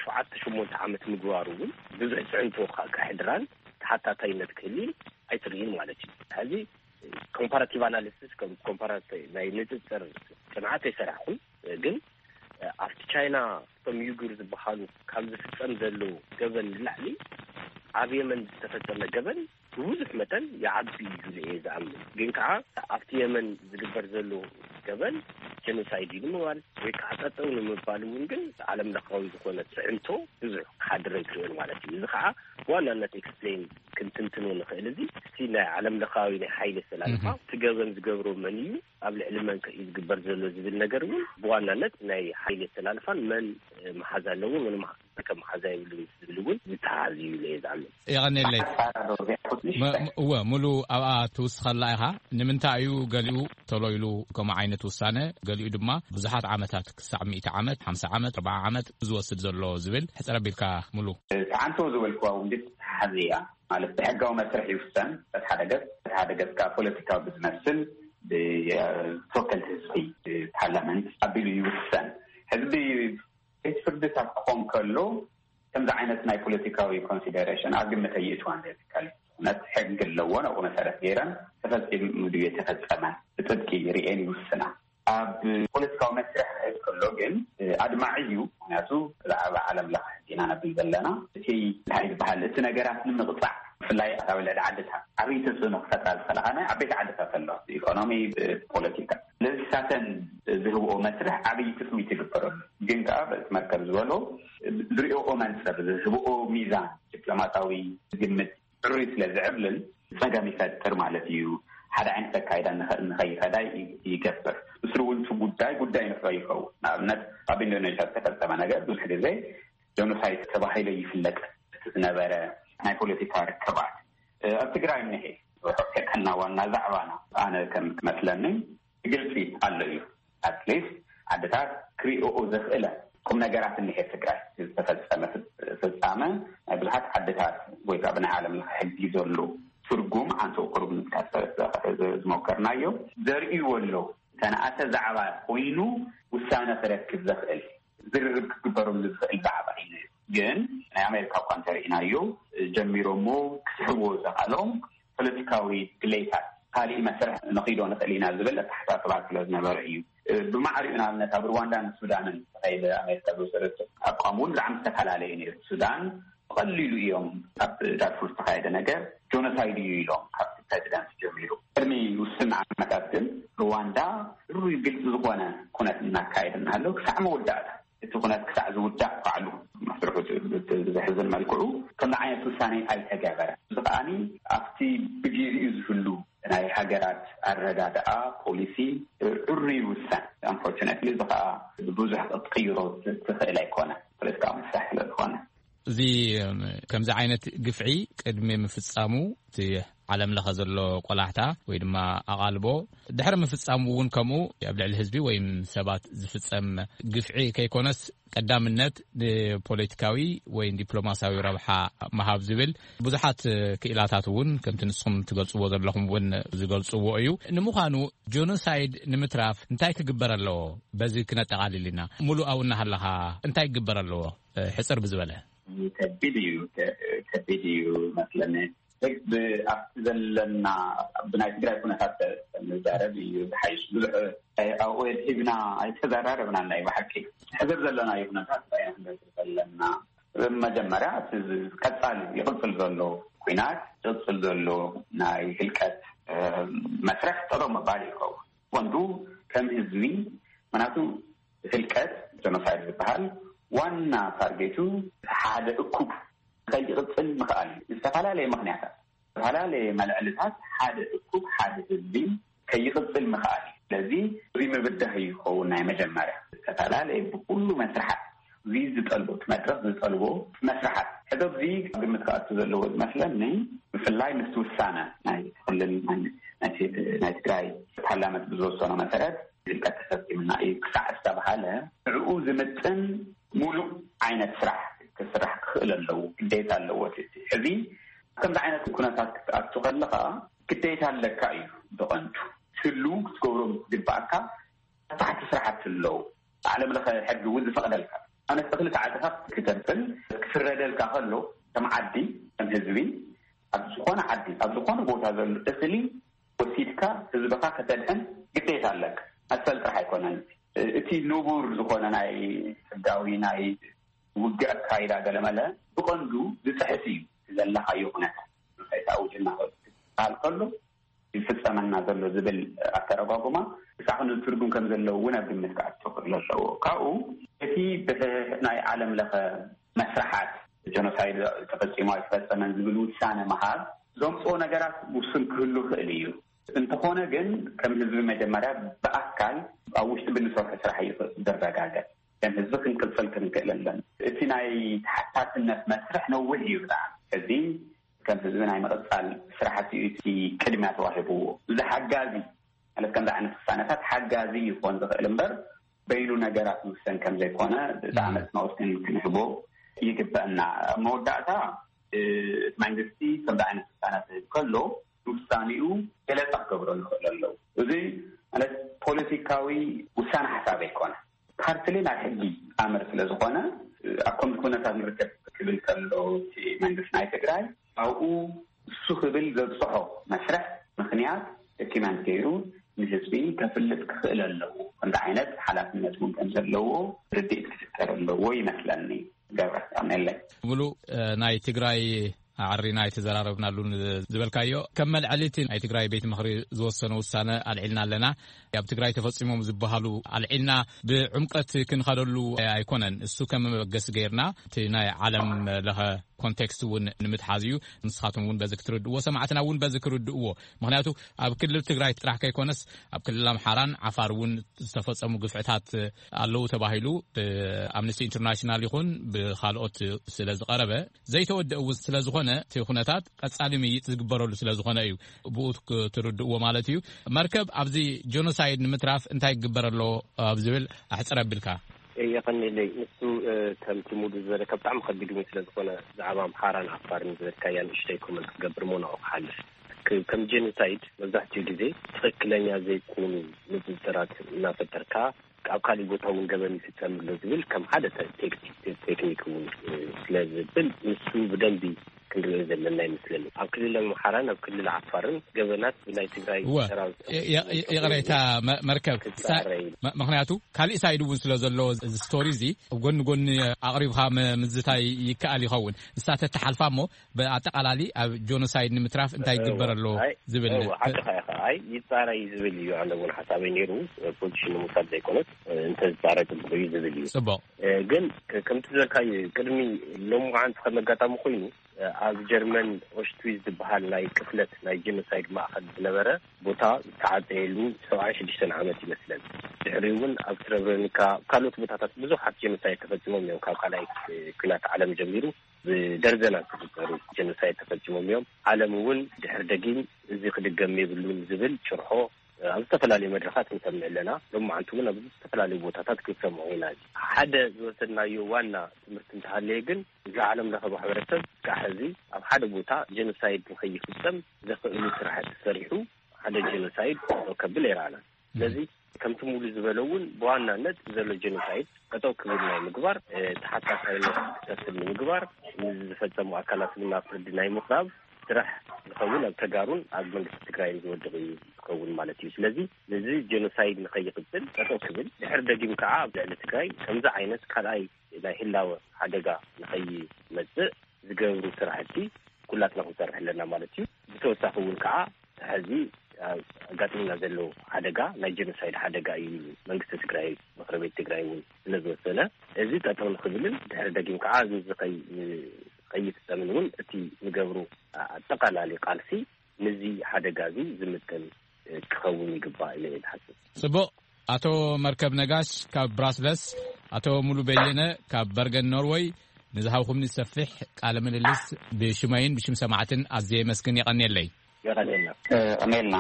ሸውዓተ ሸሞንተ ዓመት ምግባሩ እውን ብዙሕ ፅዕንቶ ከሕድራን ተሓታታይነት ክህልይን ኣይትርእይን ማለት እዩ። ሕዚ ኮምፓራቲቭ ኣናሊሲስ ኮምፓራ ናይ ንፅፅር ፅንዓት ኣይሰራሕኩን፣ ግን ኣብቲ ቻይና እቶም ዩጉር ዝበሃሉ ካብ ዝፍጸም ዘሎ ገበን ንላዕሊ ኣብ የመን ዝተፈጸመ ገበን ብብዙሕ መጠን ይዓቢ እዩ ኢለ እየ ዝኣምን። ግን ከዓ ኣብቲ የመን ዝግበር ዘሎ ገበን ጀኖሳይድ እዩ ንምባል ወይ ከዓ ጠጠው ንምባል እውን ግን ዓለም ለኻዊ ዝኾነ ፅዕንቶ ብዙሕ ክሓድር ኣይትርእዮን ማለት እዩ። እዚ ከዓ ብዋናነት ኤክስፕሌን ክንትንትኖ ንኽእል። እዚ እስቲ ናይ ዓለም ለኻዊ ናይ ሓይሊ ኣሰላልፋ እቲ ገበን ዝገብሮ መን እዩ፣ ኣብ ልዕሊ መን ከ እዩ ዝግበር ዘሎ ዝብል ነገር እውን ብዋናነት ናይ ሓይሊ ኣሰላልፋን መን መሓዝ ኣለዎ፣ መን ከም መሓዝ የብሉን ዝብል እውን ዝተሓዝ እዩ ኢለ እየ ዝኣምን። የቐኔለይ። እወ፣ ሙሉ ኣብኣ ትውስኸላ ኢኻ። ንምንታይ እዩ ገሊኡ ቶሎ ኢሉ ከምኡ ዓይነት ውሳነ፣ ገሊኡ ድማ ብዙሓት ዓመታት፣ ክሳዕ ሚእቲ ዓመት፣ ሓምሳ ዓመት፣ ኣርብዓ ዓመት ዝወስድ ዘሎ ዝብል ሕጽር ኣቢልካ ሙሉ። ተዓንቶ ዝበልክዋ እውን ግን ተሓዝ እያ። ማለት ብሕጋዊ መስርሕ ይውሰን። በቲ ሓደ ገጽ፣ በቲ ሓደ ገጽ ከዓ ፖለቲካዊ ብዝመስል ብተወከልቲ ህዝቢ፣ ብፓርላመንት ኣቢሉ ይውሰን። ህዝቢ ቤት ፍርድታት ክኾን ከሎ ከምዚ ዓይነት ናይ ፖለቲካዊ ኮንሲደሬሽን ኣብ ግምት ኣይእትዋን። ዘትካል እውነት ሕጊ ኣለዎ። ናብኡ መሰረት ገይረን ተፈጺሙ ድዩ የተፈጸመ ብጥብቂ ርእየን ይውስና። ኣብ ፖለቲካዊ መስርሕ ክኸይድ ከሎ ግን ኣድማዒ እዩ። ምክንያቱ ብዛዕባ ዓለም ለኸ ሕጊ ኢና ነብል ዘለና። እቲ እንታይ ዝበሃል፣ እቲ ነገራት ንምቕጻዕ፣ ብፍላይ ኣብ ልዕሊ ዓድታት ዓብዪ ተጽዕኖ ክፈጥራ ዝኽእላ ናይ ዓበይቲ ዓድታት ኣለዋ፣ ብኢኮኖሚ፣ ብፖለቲካ። ስለዚ ሳተን ዝህብኦ መስርሕ ዓብዪ ትጽቢት ይግበረሉ። ግን ከኣ በቲ መርከብ ዝበሎ ዝሪኦኦ መንጽር፣ ዝህብኦ ሚዛን፣ ዲፕሎማሳዊ ግምት ዕሩይ ስለ ዝዕብልል ጸገም ይፈጥር ማለት እዩ። ሓደ ዓይነት ኣካይዳ ንኸ-፣ ንኸይኸዳ ይ-፣ ይገብር። ምስሉ እውን እቲ ጉዳይ ጉዳይ ንፍረ ይኸውን። ንኣብነት ኣብ ኢንዶኔዥያ ዝተፈጸመ ነገር ብዙሕ ግዜ ጀኖሳይድ ተባሂሉ ይፍለጥ። እቲ ዝነበረ ናይ ፖለቲካ ርክባት፣ እ፣ ኣብ ትግራይ እኒሄ። ርሑቕ ከይከድና ዋና ዛዕባና ኣነ ከም ክመስለኒ ግልጺ ኣሎ እዩ። ኣትሊስት ዓድታት ክሪኦኦ ዘኽእለ ቁም ነገራት እኒሄ። ትግራይ ዝተፈጸመ ፍጽ-፣ ፍጻመ ናይ ብዙሓት ዓድታት ወይ ከዓ ብናይ ዓለም ለኸ ሕጊ ዘሎ ትርጉም ኣንተ ቁሩብ ንምጥቃስ ዝሞከርናዮ ዘርእይዎ ኣለዉ። ዝተነኣሰ ዛዕባ ኮይኑ ውሳነ ክረክብ ዘኽእል ዝርርብ ክግበረሉ ዝኽእል ዛዕባ እዩ ነይሩ። ግን ናይ ኣሜሪካ እኳ እንተርኢናዮ ጀሚሮሞ ክስሕብዎ ዘኽኣሎም ፖለቲካዊ ድሌታት ካሊእ መስርሕ ንኺዶ ንኽእል ኢና ዝብል ኣተሓሳስባ ስለ ዝነበረ እዩ። ብማዕሪኡ ንኣብነት ኣብ ሩዋንዳን ሱዳንን ተኻይደ ኣሜሪካ ዝወሰደቶ ኣቋም እውን ብጣዕሚ ዝተፈላለየ ነይሩ። ሱዳን ብቐሊሉ እዮም ኣብ ዳርፉር ዝተኻየደ ነገር ጆኖሳይድ እዩ ኢሎም ካብቲ ፕሬዚደንት ጀሚሩ ቅድሚ ውስን ዓመታት ግን ሩዋንዳ ሩይ ግልፂ ዝኾነ ኩነት እናካየደ እናሃለው ክሳዕ መወዳእታ እቲ ኩነት ክሳዕ ዝውዳእ ባዕሉ መስርሑ እቲ ዘሕዝን መልክዑ ከምዚ ዓይነት ውሳኔ ኣይተገበረ። እዚ ከዓኒ ኣብቲ ብግዜኡ ዝህሉ ናይ ሃገራት ኣረዳድኣ ፖሊሲ ዕሩ ይውሰን። ኣንፎርቹነትሊ እዚ ከዓ ብዙሕ ክትቅይሮ ትኽእል ኣይኮነ ፖለቲካዊ መስርሕ ስለ ዝኾነ። እዚ ከምዚ ዓይነት ግፍዒ ቅድሚ ምፍጻሙ እቲ ዓለም ለኸ ዘሎ ቆላሕታ ወይ ድማ ኣቓልቦ ድሕሪ ምፍጻሙ እውን ከምኡ ኣብ ልዕሊ ህዝቢ ወይ ሰባት ዝፍጸም ግፍዒ ከይኮነስ ቀዳምነት ንፖለቲካዊ ወይ ዲፕሎማሲያዊ ረብሓ ምሃብ ዝብል ብዙሓት ክኢላታት እውን ከምቲ ንስኹም ትገልጽዎ ዘለኹም እውን ዝገልጽዎ እዩ። ንምዃኑ ጆኖሳይድ ንምትራፍ እንታይ ክግበር ኣለዎ? በዚ ክነጠቓልል ኢና። ሙሉእ ኣብኡ እናሃለኻ እንታይ ክግበር ኣለዎ? ሕጽር ብዝበለ። ከቢድ እዩ፣ ከ-፣ ከቢድ እዩ መስለኒ። ሕግ ብ-፣ ኣብቲ ዘለና፣ ብናይ ትግራይ ኩነታት ንዛረብ እዩ ዝሓይሽ። ብዙሕ ኣወል ሂብና ኣይተዘራረብናን። ናይ ብሓቂ ሕዝር ዘለና ኩነታት እንታይ ኢና ክንገብር ዘለና? መጀመርያ እቲ ዝ-፣ ቀጻሊ ይቕጽል ዘሎ ኩናት፣ ይቕጽል ዘሎ ናይ ህልቀት፣ እ፣ መስርሕ ጠጠው ምባል ይኸውን። ወንዱ ከም ህዝቢ፣ ምክንያቱ ህልቀት ጀኖሳይድ ዝበሃል ዋና ታርጌቱ ሓደ እኩብ ከይቕጽል ምኽኣል እዩ። ዝተፈላለየ ምኽንያታት፣ ዝተፈላለየ መልዕልታት ሓደ እኩብ ሓደ ህዝቢ ከይቕጽል ምኽኣል እዩ። ስለዚ እዚ ምብዳህ እዩ ዝኸውን ናይ መጀመርያ። ዝተፈላለየ ብኩሉ መስርሓት እዚ ዝጠልቦ፣ እቲ መድረኽ ዝጠልቦ መስርሓት። ሕዚ ኣብዚ ግምት ክኣቱ ዘለዎ ዝመስለኒ፣ ብፍላይ ምስቲ ውሳነ ናይ ክልል ናይ፣ ናይ፣ ናይ ትግራይ ፓርላመንት ብዝወሰኖ መሰረት ህልቀት ተፈጺምና እዩ ክሳዕ ዝተባሃለ፣ ንዕኡ ዝምጥን ሙሉእ ዓይነት ስራሕ ክስራሕ ክኽእል ኣለዎ፣ ግዴታ ኣለዎ። እቲ ሕዚ ከምዚ ዓይነት ኩነታት ክትኣቱ ከለኻ ግዴታ ኣለካ እዩ ብቐንዱ። ትህሉ ክትገብሮም ዝግባኣካ ታሕቲ ስራሕቲ ኣለዉ። ዓለም ለኸ ሕጊ እውን ዝፈቕደልካ። ኣነ ክልተ ዓድኻ ክተብል ክፍረደልካ ከሎ፣ ከም ዓዲ፣ ከም ህዝቢ፣ ኣብ ዝኾነ ዓዲ፣ ኣብ ዝኾነ ቦታ ዘሎ እኽሊ ወሲድካ ህዝብኻ ከተድሕን ግዴታ ኣለካ። መሰል ጥራሕ ኣይኮነን። እቲ ንቡር ዝኾነ ናይ ሕጋዊ ናይ ውግእ ኣካይዳ ገለመለ ብቐንዱ ዝፅሕፍ እዩ። ዘለኻዮ ኩነታት ንኸይተኣውጅ እናኸዱ ክበሃል ከሎ ይፍፀመና ዘሎ ዝብል ኣተረጓጉማ ብሳዕ ክንብል ትርጉም ከም ዘለዎ እውን ኣብ ግምት ክኣቱ ክእል ኣለዎ። ካብኡ እቲ ብናይ ዓለም ለኸ መስራሓት ጀኖሳይድ ተፈፂሙ ኣይተፈፀመን ዝብል ውሳነ ምሃብ ዘምፅኦ ነገራት ውሱን ክህሉ ክእል እዩ። እንተኾነ ግን ከም ህዝቢ መጀመርያ ብኣካል ኣብ ውሽጢ ብንሰርሑ ስራሕ እዩ ዝረጋገጥ። ከም ህዝቢ ክንቅፅል ክንክእል ኣለን። እቲ ናይ ተሓታትነት መስርሕ ነዊሕ እዩ ብጣዕሚ። እዚ ከም ህዝቢ ናይ ምቕፃል ስራሕቲ እዩ እቲ ቅድሚያ ተዋሂብዎ። እዚ ሓጋዚ ማለት ከምዚ ዓይነት ውሳነታት ሓጋዚ ይኾን ዝኽእል እምበር በይኑ ነገራት ዝውሰን ከም ዘይኮነ ብጣዕሚ ኣፅንኦት ክን- ክንህቦ ይግበአና። ኣብ መወዳእታ እ፣ እቲ መንግስቲ ከምዚ ዓይነት ውሳነ ክህብ ከሎ ውሳኔኡ ገለፃ ክገብረሉ ይኽእል ኣለዉ። እዚ ማለት ፖለቲካዊ ውሳነ ሓሳብ ኣይኮነ። ፓርትሊ ናይ ሕጊ ኣምር ስለ ዝኾነ ኣብ ከምዚ ኩነታት ንርከብ ክብል ከሎ እቲ መንግስቲ ናይ ትግራይ ኣብኡ እሱ ክብል ዘብፅሖ መስርሕ ምክንያት ዶኪመንት ገይሩ ንህዝቢ ከፍልጥ ክኽእል ኣለዎ። ከምዚ ዓይነት ሓላፍነት እውን ከም ዘለዎ ርድኢት ክፍጠር ኣለዎ ይመስለኒ። ገብረ ኣሜለይ ሙሉ ናይ ትግራይ ኣዕሪና ኣይተዘራረብናሉን ዝበልካዮ ከም መልዐሊቲ ናይ ትግራይ ቤት ምኽሪ ዝወሰነ ውሳነ ኣልዒልና ኣለና። ኣብ ትግራይ ተፈፂሞም ዝበሃሉ ኣልዒልና ብዕምቀት ክንኸደሉ ኣይኮነን። እሱ ከም መበገሲ ገይርና እቲ ናይ ዓለም ለኸ ኮንቴክስት እውን ንምትሓዝ እዩ። ንስኻትኩም እውን በዚ ክትርድእዎ ሰማዕትና እውን በዚ ክርድእዎ። ምክንያቱ ኣብ ክልል ትግራይ ጥራሕ ከይኮነስ ኣብ ክልል ኣምሓራን ዓፋር እውን ዝተፈፀሙ ግፍዕታት ኣለዉ ተባሂሉ ብኣምነስቲ ኢንተርናሽናል ይኹን ብካልኦት ስለ ዝቐረበ ዘይተወደእ እውን ስለ ዝኾነ እቲ ኩነታት ቀፃሊ ምይጥ ዝግበረሉ ስለ ዝኾነ እዩ። ብኡ ክትርድእዎ ማለት እዩ። መርከብ ኣብዚ ጀኖሳይድ ንምትራፍ እንታይ ክግበር ኣለዎ ኣብ ዝብል ኣሕፅር ኣቢልካ። የቐኒለይ ንሱ ከምቲ ሙሉ ዝበለካ ብጣዕሚ ከቢድ እውን ስለ ዝኾነ ብዛዕባ ኣምሓራን ዓፋርን ዝበልካያ ንእሽተይ ኮመንት ክገብር ሞ ናብኡ ክሓልፍ። ከም ጀኖሳይድ መብዛሕትኡ ግዜ ትኽክለኛ ዘይኮኑ ንፅፅራት እናፈጠርካ ኣብ ካሊእ ቦታ እውን ገበን ይፍፀም ኣሎ ዝብል ከም ሓደ ቴክኒክ እውን ስለ ዝብል ንሱ ብደንቢ ክንሪኦ ዘለና ይመስለኒ። ኣብ ክልል ኣምሓራን ኣብ ክልል ዓፋርን ገበናት ብናይ ትግራይ ሰራዊት ይቕሬታ መርከብ ምክንያቱ ካሊእ ሳይድ እውን ስለ ዘሎ እዚ ስቶሪ እዚ ኣብ ጎኒ ጎኒ ኣቕሪብካ ምዝታይ ይከኣል ይኸውን። ንሳ ተተሓልፋ እሞ ብኣጠቓላሊ ኣብ ጆኖሳይድ ንምትራፍ እንታይ ይግበር ኣሎ ዝብል ሓቅኻ ኢኻ። ኣይ ይፃረይ ዝብል እዩ። ኣነ እውን ሓሳበይ ነይሩ ፖዚሽን ንምውሳድ ዘይኮነስ እንተዝፃረይ ፅቡቕ እዩ ዝብል እዩ። ፅቡቕ ግን ከምቲ ዝበልካዩ ቅድሚ ሎምዓንቲ ከም ኣጋጣሚ ኮይኑ ኣብ ጀርመን ኦሽትዊዝ ዝበሃል ናይ ቅትለት ናይ ጀኖሳይድ ማእኸል ዝነበረ ቦታ ዝተዓፀየሉ ሰብዓን ሽዱሽተን ዓመት ይመስለን። ድሕሪኡ እውን ኣብ ስረብረኒካ ካልኦት ቦታታት ብዙሓት ጀኖሳይድ ተፈፂሞም እዮም። ካብ ካልኣይ ኩናት ዓለም ጀሚሩ ብደርዘናት ዝቁፀሩ ጀኖሳይድ ተፈፂሞም እዮም። ዓለም እውን ድሕር ደጊም እዚ ክድገም የብሉን ዝብል ጭርሖ ኣብ ዝተፈላለዩ መድረኻት ንሰምዕ ኣለና። ሎማዓንቲ እውን ኣብ ዝተፈላለዩ ቦታታት ክንሰምዖ ኢና። ሓደ ዝወሰድናዮ ዋና ትምህርቲ እንተሃለየ ግን እዚ ዓለም ለኸ ማሕበረሰብ ክሳዕ ሕዚ ኣብ ሓደ ቦታ ጀኖሳይድ ንኸይፍፀም ዘኽእሉ ስራሕቲ ሰሪሑ ሓደ ጀኖሳይድ ከብል ኣይረኣናን። ስለዚ ከምቲ ሙሉ ዝበለ እውን ብዋናነት ዘሎ ጀኖሳይድ ጠጠው ክብል ናይ ምግባር፣ ተሓታታይነት ክሰፍን ንምግባር፣ ንዝፈፀሙ ኣካላት እውን ናብ ፍርዲ ናይ ምቕራብ ስራሕ ዝኸውን ኣብ ተጋሩን ኣብ መንግስቲ ትግራይን ዝወድቕ እዩ ዝኸውን ማለት እዩ። ስለዚ ነዚ ጀኖሳይድ ንኸይቕፅል ጠጠው ክብል ድሕር ደጊም ከዓ ኣብ ልዕሊ ትግራይ ከምዚ ዓይነት ካልኣይ ናይ ህላወ ሓደጋ ንኸይመፅእ ዝገብሩ ስራሕቲ ኩላትና ክንሰርሕ ኣለና ማለት እዩ። ብተወሳኺ እውን ከዓ ሕዚ ኣጋጢምና ዘሎ ሓደጋ ናይ ጀኖሳይድ ሓደጋ እዩ ኢሉ መንግስቲ ትግራይ ምክሪ ቤት ትግራይ እውን ስለ ዝወሰነ እዚ ጠጠው ንክብልን ድሕሪ ደጊም ከዓ እዚ ከይፍፀምን እውን እቲ ንገብሩ ኣጠቃላሊ ቃልሲ ነዚ ሓደጋ እዚ ዝምጥን ክኸውን ይግባእ ኢለ እየ ዝሓስብ። ፅቡቕ። ኣቶ መርከብ ነጋሽ ካብ ብራስለስ፣ ኣቶ ሙሉ በየነ ካብ በርገን ኖርወይ፣ ንዝሃብኹምኒ ሰፊሕ ቃለ ምልልስ ብሽመይን ብሽም ሰማዕትን ኣዝየ የመስግን። የቐንየለይ። የቐንየልና። ቀንየልና።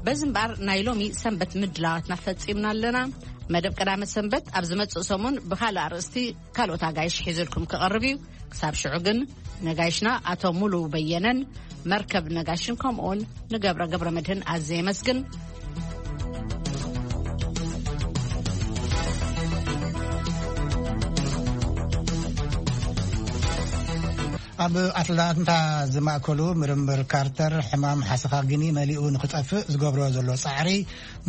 በዚ እምበኣር ናይ ሎሚ ሰንበት ምድላዋትና ፈጺምና ኣለና። መደብ ቀዳመ ሰንበት ኣብ ዝመጽእ ሰሙን ብኻልእ ኣርእስቲ ካልኦት ኣጋይሽ ሒዙልኩም ክቐርብ እዩ። ክሳብ ሽዑ ግን ነጋይሽና ኣቶ ሙሉ በየነን መርከብ ነጋሽን ከምኡውን ንገብረ ገብረ መድህን ኣዝየ የመስግን። ኣብ ኣትላንታ ዝማእከሉ ምርምር ካርተር ሕማም ሓሰኻ ጊኒ መሊኡ ንኽጠፍእ ዝገብሮ ዘሎ ጻዕሪ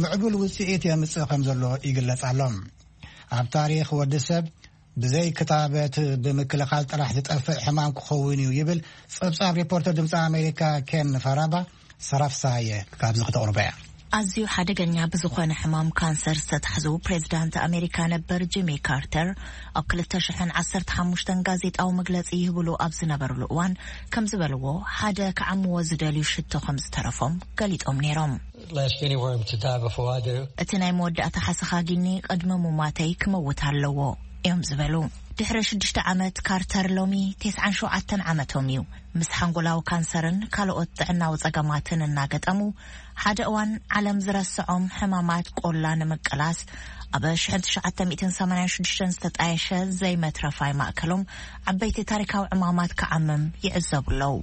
ምዕቡል ውጽኢት የምጽእ ከም ዘሎ ይግለጽ ኣሎ። ኣብ ታሪኽ ወዲ ሰብ ብዘይ ክታበት ብምክልኻል ጥራሕ ዝጠፍእ ሕማም ክኸውን እዩ ይብል ጸብጻብ ሪፖርተር ድምፂ ኣሜሪካ ኬን ፈራባ። ሰራፍሳየ ካብዚ ክተቕርቦ እያ። ኣዝዩ ሓደገኛ ብዝኾነ ሕማም ካንሰር ዝተታሕዙ ፕሬዝዳንት ኣሜሪካ ነበር ጂሚ ካርተር ኣብ ክልተ ሽሕን ዓሰርተ ሓሙሽተን ጋዜጣዊ መግለጺ ይህብሉ ኣብ ዝነበርሉ እዋን ከም ዝበልዎ ሓደ ክዓምዎ ዝደልዩ ሽቶ ከም ዝተረፎም ገሊጾም ነይሮም። Last guinea worm to die before I do. እቲ ናይ መወዳእታ ሓሰኻ ጊኒ ቅድሚ ሙማተይ ክመውት ኣለዎ እዮም ዝበሉ። ድሕሪ ሽዱሽተ ዓመት ካርተር ሎሚ ተስዓን ሸውዓተን ዓመቶም እዩ። ምስ ሓንጎላዊ ካንሰርን ካልኦት ጥዕናዊ ጸገማትን እናገጠሙ ሓደ እዋን ዓለም ዝረስዖም ሕማማት ቆላ ንምቅላስ ኣብ ሽሕን ትሽዓተ ሚእትን ሰማንያን ሽዱሽተን ዝተጣየሸ ዘይመትረፋይ ማእከሎም ዓበይቲ ታሪካዊ ዕማማት ክዓምም ይዕዘቡ ኣለዉ።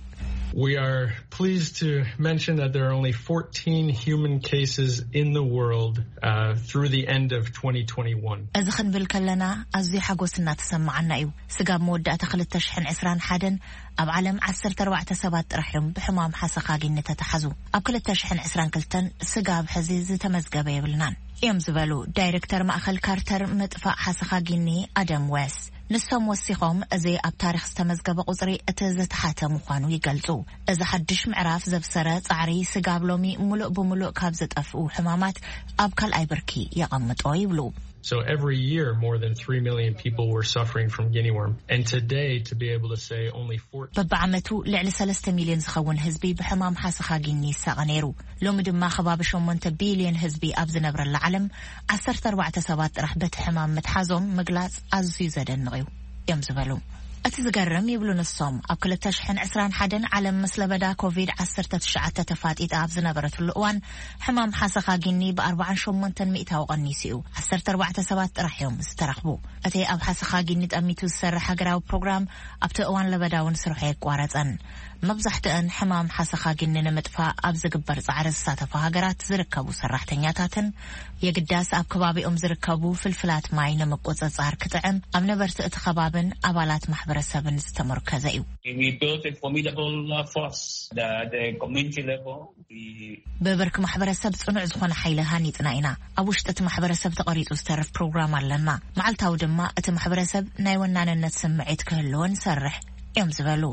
We are pleased to mention that there are only fourteen human cases in the world uh, through the end of twenty twenty-one. እዚ ክንብል ከለና ኣዝዩ ሓጎስ እናተሰማዓና እዩ። ስጋብ መወዳእታ ክልተ ሽሕን ዕስራን ሓደን ኣብ ዓለም ዓሰርተ ኣርባዕተ ሰባት ጥራሕ እዮም ብሕማም ሓሰኻጊኒ ተታሓዙ። ኣብ ክልተ ሽሕን ዕስራን ክልተን ስጋብ ሕዚ ዝተመዝገበ የብልናን እዮም ዝበሉ ዳይሬክተር ማእኸል ካርተር ምጥፋእ ሓሰኻጊኒ ኣደም ዌስ። ንሶም ወሲኾም እዚ ኣብ ታሪኽ ዝተመዝገበ ቁፅሪ እቲ ዝተሓተ ምዃኑ ይገልፁ። እዚ ሓድሽ ምዕራፍ ዘብሰረ ፃዕሪ ስጋብ ሎሚ ሙሉእ ብሙሉእ ካብ ዝጠፍኡ ሕማማት ኣብ ካልኣይ ብርኪ የቐምጦ ይብሉ። So every year, more than three million people were suffering from guinea worm. And today, to be able to say only fourteen. በብዓመቱ ልዕሊ ሰለስተ ሚልዮን ዝኸውን ህዝቢ ብሕማም ሓሰኻ ጊኒ ይሳቐ ነይሩ። ሎሚ ድማ ከባቢ ሸሞንተ ቢልዮን ህዝቢ ኣብ ዝነብረላ ዓለም ዓሰርተ ኣርባዕተ ሰባት ጥራሕ በቲ ሕማም ምትሓዞም ምግላጽ ኣዝዩ ዘደንቕ እዩ እዮም ዝበሉ። እቲ ዝገርም ይብሉ ንሶም ኣብ ክልተ ሽሕን ዕስራን ሓደን ዓለም ምስ ለበዳ ኮቪድ ዓሰርተ ትሽዓተ ተፋጢጣ ኣብ ዝነበረትሉ እዋን ሕማም ሓሰኻ ጊኒ ብኣርባዓን ሸሞንተን ሚእታዊ ቀኒሱ እዩ። ዓሰርተ ኣርባዕተ ሰባት ጥራሕ እዮም ዝተረኽቡ። እቲ ኣብ ሓሰኻ ጊኒ ጠሚቱ ዝሰርሕ ሃገራዊ ፕሮግራም ኣብቲ እዋን ለበዳ እውን ስርሑ ኣየቋረጸን። መብዛሕትአን ሕማም ሓሰኻ ጊኒ ንምጥፋእ ኣብ ዝግበር ጻዕሪ ዝሳተፋ ሃገራት ዝርከቡ ሰራሕተኛታትን የግዳስ ኣብ ከባቢኦም ዝርከቡ ፍልፍላት ማይ ንምቁጽጻር ክጥዕም ኣብ ነበርቲ እቲ ከባብን ኣባላት ማሕበረሰብን ዝተመርኮዘ እዩ። We built a formidable uh, force. The, the community level, we ብብርኪ ማሕበረሰብ ጽኑዕ ዝኾነ ሓይሊ ሃኒጽና ኢና። ኣብ ውሽጢ እቲ ማሕበረሰብ ተቐሪጹ ዝተርፍ ፕሮግራም ኣለና። መዓልታዊ ድማ እቲ ማሕበረሰብ ናይ ወናንነት ስምዒት ክህልዎ ንሰርሕ እዮም ዝበሉ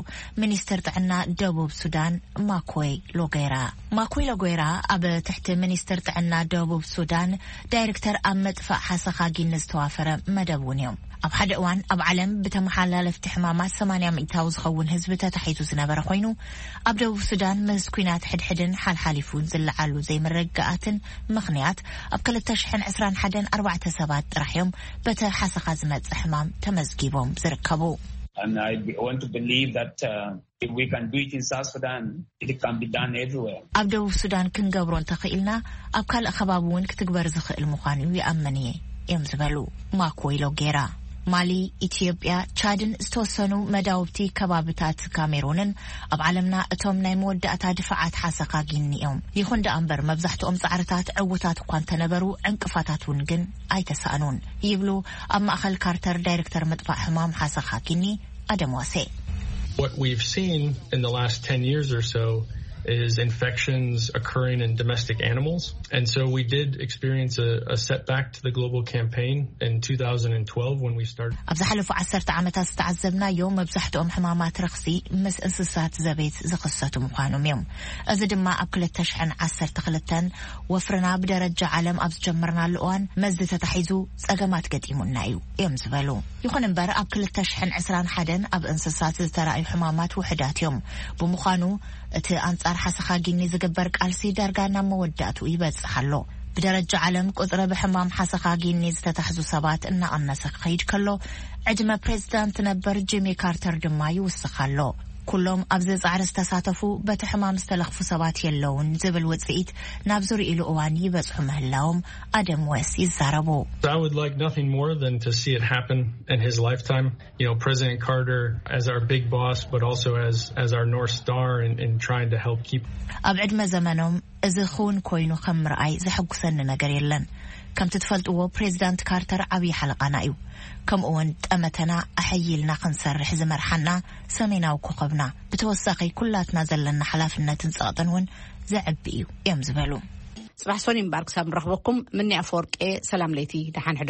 ሚኒስትር ጥዕና ደቡብ ሱዳን ማኮይ ሎጌራ። ማኮይ ሎጌራ ኣብ ትሕቲ ሚኒስትር ጥዕና ደቡብ ሱዳን ዳይሬክተር ኣብ ምጥፋእ ሓሰኻ ጊኒ ዝተዋፈረ መደብ እውን እዮም። ኣብ ሓደ እዋን ኣብ ዓለም ብተመሓላለፍቲ ሕማማት ሰማንያ ሚእታዊ ዝኸውን ህዝቢ ተታሒዙ ዝነበረ ኮይኑ ኣብ ደቡብ ሱዳን ምስ ኲናት ሕድሕድን ሓልሓሊፉ ዝለዓሉ ዘይምርግጋኣትን ምኽንያት ኣብ ክልተ ሽሕን ዕስራን ሓደን ኣርባዕተ ሰባት ጥራሕ እዮም በቲ ሓሰኻ ዝመጽእ ሕማም ተመዝጊቦም ዝርከቡ። And I want to believe that uh, if we can do it in South Sudan, it can be done everywhere. ኣብ ደቡብ ሱዳን ክንገብሮ እንተኽኢልና ኣብ ካልእ ከባቢ እውን ክትግበር ዝኽእል ምዃኑ ይኣምን እየ እዮም ዝበሉ ማኮይ ሎጌራ። ማሊ፣ ኢትዮጵያ፣ ቻድን ዝተወሰኑ መዳውብቲ ከባብታት ካሜሩንን ኣብ ዓለምና እቶም ናይ መወዳእታ ድፋዓት ሓሰኻ ጊኒ እዮም። ይኹን ደኣ እምበር መብዛሕትኦም ጻዕርታት ዕውታት እኳ እንተነበሩ ዕንቅፋታት እውን ግን ኣይተሳእኑን ይብሉ ኣብ ማእኸል ካርተር ዳይሬክተር ምጥፋእ ሕማም ሓሰኻ ጊኒ ኣደም ዋሴ። What we've seen in the last ten years or so is infections occurring in domestic animals. And so we did experience a, a setback to the global campaign in two thousand twelve when we started. ኣብ ዝሓለፉ ዓሰርተ ዓመታት ዝተዓዘብናዮ መብዛሕትኦም ሕማማት ረኽሲ ምስ እንስሳት ዘቤት ዝኽሰቱ ምዃኖም እዮም። እዚ ድማ ኣብ ክልተ ሽሕን ዓሰርተ ክልተን ወፍርና ብደረጃ ዓለም ኣብ ዝጀመርናሉ እዋን መዚ ተታሒዙ ጸገማት ገጢሙና እዩ እዮም ዝበሉ። ይኹን እምበር ኣብ ክልተ ሽሕን ዕስራን ሓደን ኣብ እንስሳት ዝተራእዩ ሕማማት ውሑዳት እዮም። ብምዃኑ እቲ ኣንጻር ሓሰኻ ጊኒ ዝግበር ቃልሲ ዳርጋ ናብ መወዳእትኡ ይበጽሕ ኣሎ። ብደረጃ ዓለም ቁጽሪ ብሕማም ሓሰኻ ጊኒ ዝተታሕዙ ሰባት እናቐነሰ ክኸይድ ከሎ ዕድመ ፕሬዝዳንት ነበር ጂሚ ካርተር ድማ ይውስኽ ኣሎ። ኩሎም ኣብዚ ጻዕሪ ዝተሳተፉ በቲ ሕማም ዝተለኽፉ ሰባት የለውን ዝብል ውጽኢት ናብ ዝርእይሉ እዋን ይበጽሑ ምህላዎም ኣደም ዌስ ይዛረቡ። I would like nothing more than to see it happen in his lifetime. You know, President Carter as our big boss, but also as, as our North Star in, in trying to help keep. ኣብ ዕድመ ዘመኖም እዚ ክውን ኮይኑ ከም ምርኣይ ዘሐጉሰኒ ነገር የለን። ከምቲ ትፈልጥዎ፣ ፕሬዚዳንት ካርተር ዓብዪ ሓለቓና እዩ። ከምኡ እውን ጠመተና ኣሐይልና ክንሰርሕ ዝመርሓና ሰሜናዊ ኮኸብና። ብተወሳኺ፣ ኩላትና ዘለና ሓላፍነትን ጸቕጥን እውን ዘዕቢ እዩ እዮም ዝበሉ። ጽባሕ ሶኒ እምበኣር ክሳብ ንረኽበኩም፣ ምኒ ኣፈወርቄ፣ ሰላም ለይቲ፣ ደሓን ሕደሩ።